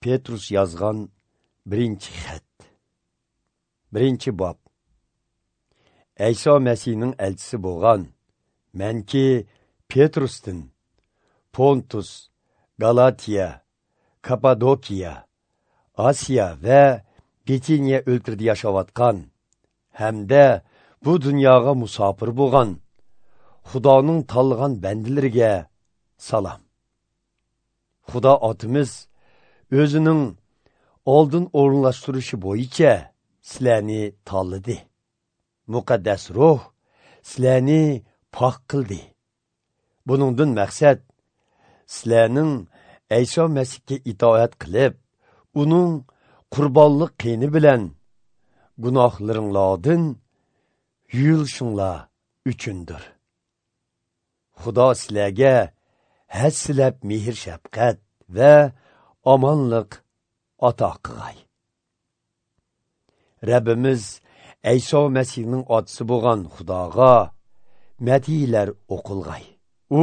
Petrus yozgan birinchi xat. Birinchi bob. Ayso Masihning elchisi bo'lgan manki Petrusdan Pontus, Galatiya, Kapadokiya, Asiya va Bitiniya o'ltirida yashayotgan hamda bu dunyoga musofir bo'lgan Xudoning tanlagan bandalariga salom. Xudo otimiz o'zining oldin o'rinlashtirishi bo'yicha sizlarni tanladi. Muqaddas ruh sizlarni pok qildi. Buningdan maqsad sizlarning Ayso Masihga itoat qilib, uning qurbonlik qiyni bilan gunohlaringlardan yuyulishinglar uchundir. Xudo sizlarga hassilab mehr shafqat va omonlik ato qilg'ay. Rabbimiz Ayso Masihning otisi bo'lgan Xudoga madhiylar o'qilg'ay. U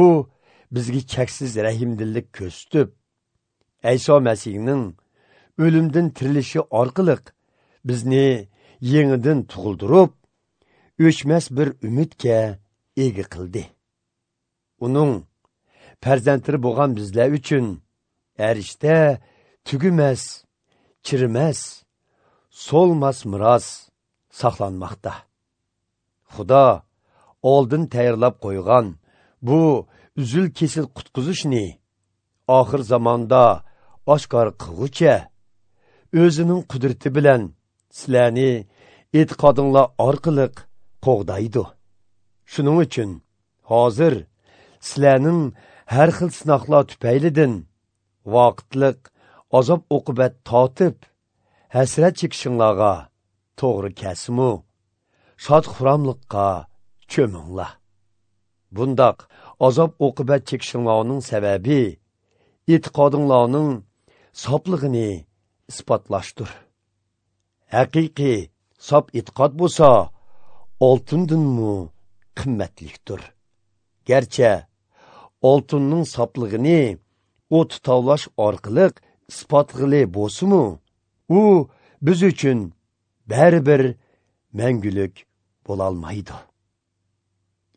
bizga cheksiz rahimdillik ko'rsatib, Ayso Masihning o'limdan tirilishi orqali bizni yangidan tug'ildirib, o'chmas bir umidga ega qildi. Uning farzandlari bo'lgan bizlar uchun arishda tugumas, chirimas, so'lmas miros saqlanmoqda. Xudo oldin tayyorlab qo'ygan bu uzil kesil qutqizishni oxir zamonda oshkor qilg'ucha o'zining qudrati bilan sizlarni e'tiqodinglar orqali qo'g'daydi. Shuning uchun hozir sizlarning har xil sinoqlar tufaylidan vaqtliq azob uqubat tortib hasrat chekishinglarga to'g'ri kelsimu shod xuramliqqa cho'minglar. Bundaq azob uqubat chekishinglarning sababi e'tiqodinglarning soplig'ini isbotlashdir. Haqiqiy sop e'tiqod bo'lsa oltindanmi qimmatlikdir. Garchi oltinning soplig'ini o't tovlash orqali isbotg'ili bo'lsa-mu, u biz uchun baribir mangulik bo'lolmaydi.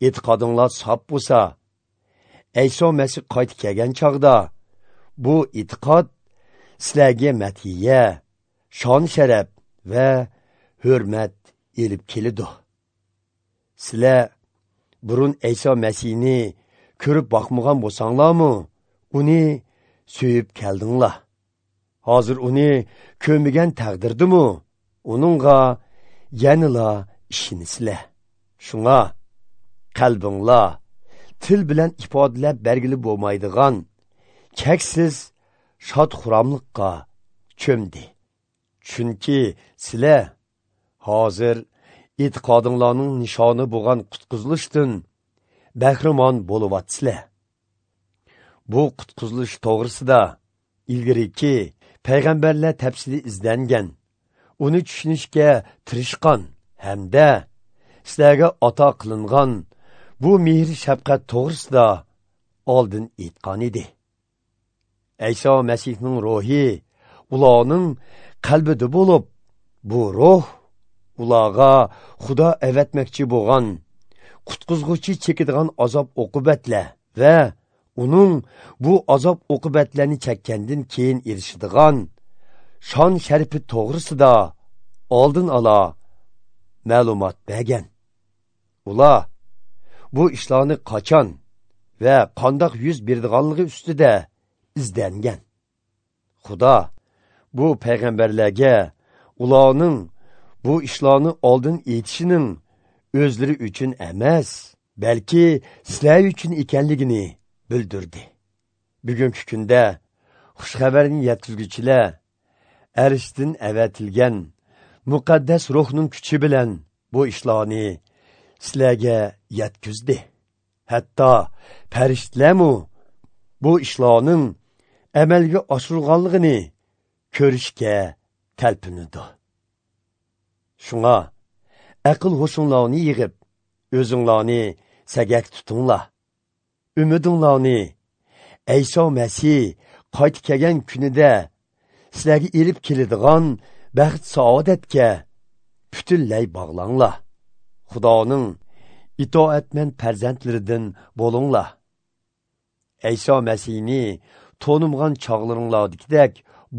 E'tiqodinglar sop bo'lsa, Ayso Masih qaytib kelgan chog'da bu e'tiqod sizlarga madhiya, shon sharaf va hurmat elib keladi. Sizlar burun Ayso Masihni ko'rib boqmagan bo'lsanglarmi, uni suyib keldinglar. Hozir uni ko'rmagan taqdirdimi, uningga yanala ishonisizlar. Shunga qalbinglar til bilan ifodalab bergili bo'lmaydigan cheksiz shod xuramliqqa cho'mdi. Chunki sizlar hozir e'tiqodinglarning nishoni bo'lgan qutqizilishdan bahramon bo'lyapsizlar. Bu qutqizilish to'g'risida ilgariki payg'ambarlar tafsili izlangan, uni tushunishga tirishgan hamda sizlarga ato qilingan bu mehr shafqat to'g'risida oldin aytgan edi. Ayso Masihning ruhi ularning qalbida bo'lib, bu ruh ularga Xudo avatmoqchi bo'lgan qutqizg'uchi chekadigan azob uqubatlar va uning bu azob uqubatlarni chekkandan keyin erishadigan shon sharifi to'g'risida oldin ola ma'lumot bergan. Ular bu ishlarni qachon va qandoq yuz berdiganligi ustida izlangan. Xudo bu payg'ambarlarga ularning bu ishlarni oldin aytishining o'zlari uchun emas, balki sizlar uchun ekanligini bildirdi. Bugungi kunda xushxabarni yetkazuvchilar arishdan avatilgan muqaddas ruhning kuchi bilan bu ishlarni sizlarga yetkazdi. Hatto farishtalarmu bu ishlarning amalga oshirilganligini ko'rishga talpinadi. Shunga aql hushinglarni yig'ib, o'zinglarni sagak tutinglar. Umidinglarni Ayso Masih qaytib kelgan kunida sizlarga elib keladigan baxt saodatga butunlay bog'langlar. Xudoning itoatman farzandlaridan bo'linglar. Ayso Masihni to'nimgan chog'laringlardagidek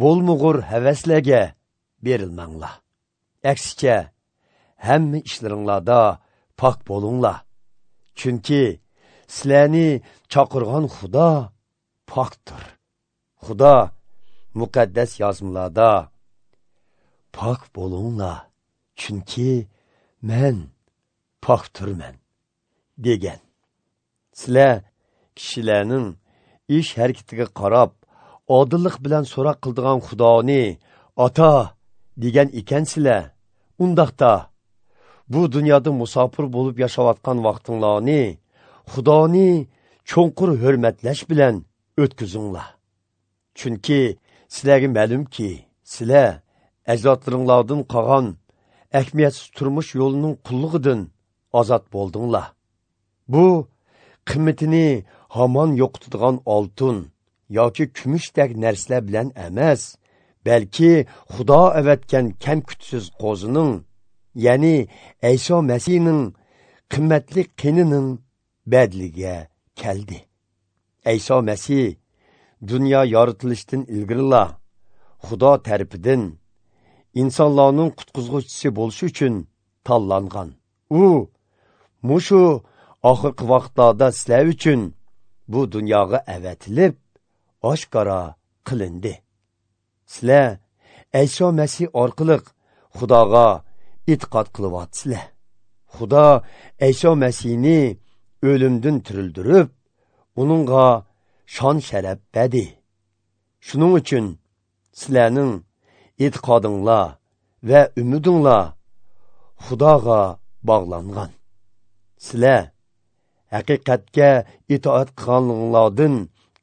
bo'lmug'ur havaslarga berilmanglar. Aksicha, hamma ishlaringlarda pok bo'linglar. Chunki sizlarni chaqirgan Xudo pokdir. Xudo muqaddas yozmalarda pok bo'linglar, chunki men pokdirman degan. Sizlar kishilarning ish harakatiga qarab odillik bilan so'roq qildigan Xudoni ota degan ekansizlar, undaqda bu dunyoda musofir bo'lib yashayotgan vaqtinglarni Xudoni cho'nqur hurmatlash bilan o'tkazinglar. Chunki sizlarga ma'lumki, sizlar ajdodlaringlardan qolgan ahamiyatsiz turmush yo'lining qullig'idan ozod bo'ldinglar. Bu qimmatini hamon yo'qotadigan oltin yoki kumushdek narsalar bilan emas, balki Xudo avatgan kam-kutsiz qo'zining, ya'ni Ayso Masihning qimmatli qinining badliga keldi. Ayso Masih dunyo yoritilishidan ilgarila Xudo tarafidan insonlarning qutqizg'uvchisi bo'lishi uchun tanlangan. U mushu oxirgi vaqtlarda sizlar uchun bu dunyoga avatilib oshkora qilindi. Sizlar Ayso Masih orqali Xudoga e'tiqod qilyapsizlar. Xudo Ayso Masihni o'limdan tirildirib, uningga shon sharaf berdi. Shuning uchun sizlarning e'tiqodinglar va umidinglar Xudoga bog'langan. Sizlar haqiqatga itoat qilganinglardan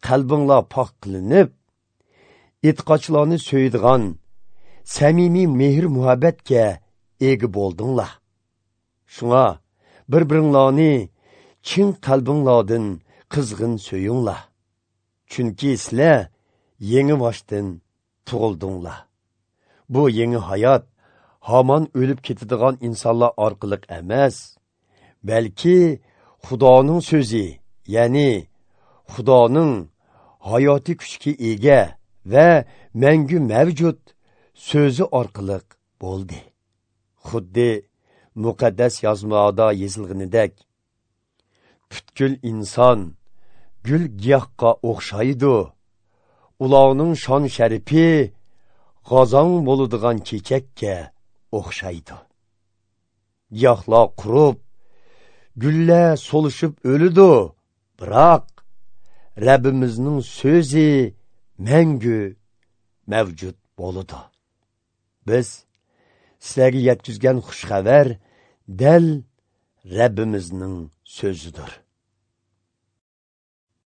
qalbinglar pok qilinib, e'tiqodchilarni so'yadigan samimiy mehr muhabbatga ega bo'ldinglar. Shunga bir-biringlarni chin qalbinglardan qizg'in so'yinglar. Chunki sizlar yangi boshdan tug'ildinglar. Bu yangi hayot hamon o'lib ketadigan insonlar orqali emas, balki Xudoning so'zi, ya'ni Xudoning hayotiy kuchga ega va mangu mavjud so'zi orqali bo'ldi. Xuddi muqaddas yozmalarda yozilganidek, butkul inson gul giyohga o'xshaydi. Ularning shon sharifi g'azon bo'ladigan chechakka o'xshaydi. Giyohlar qurib, gullar so'lishib o'lidi, biroq Rabbimizning so'zi mangu mavjud bo'ladi. Biz sizlarga yetkazgan xush xabar dal Rabbimizning so'zidir.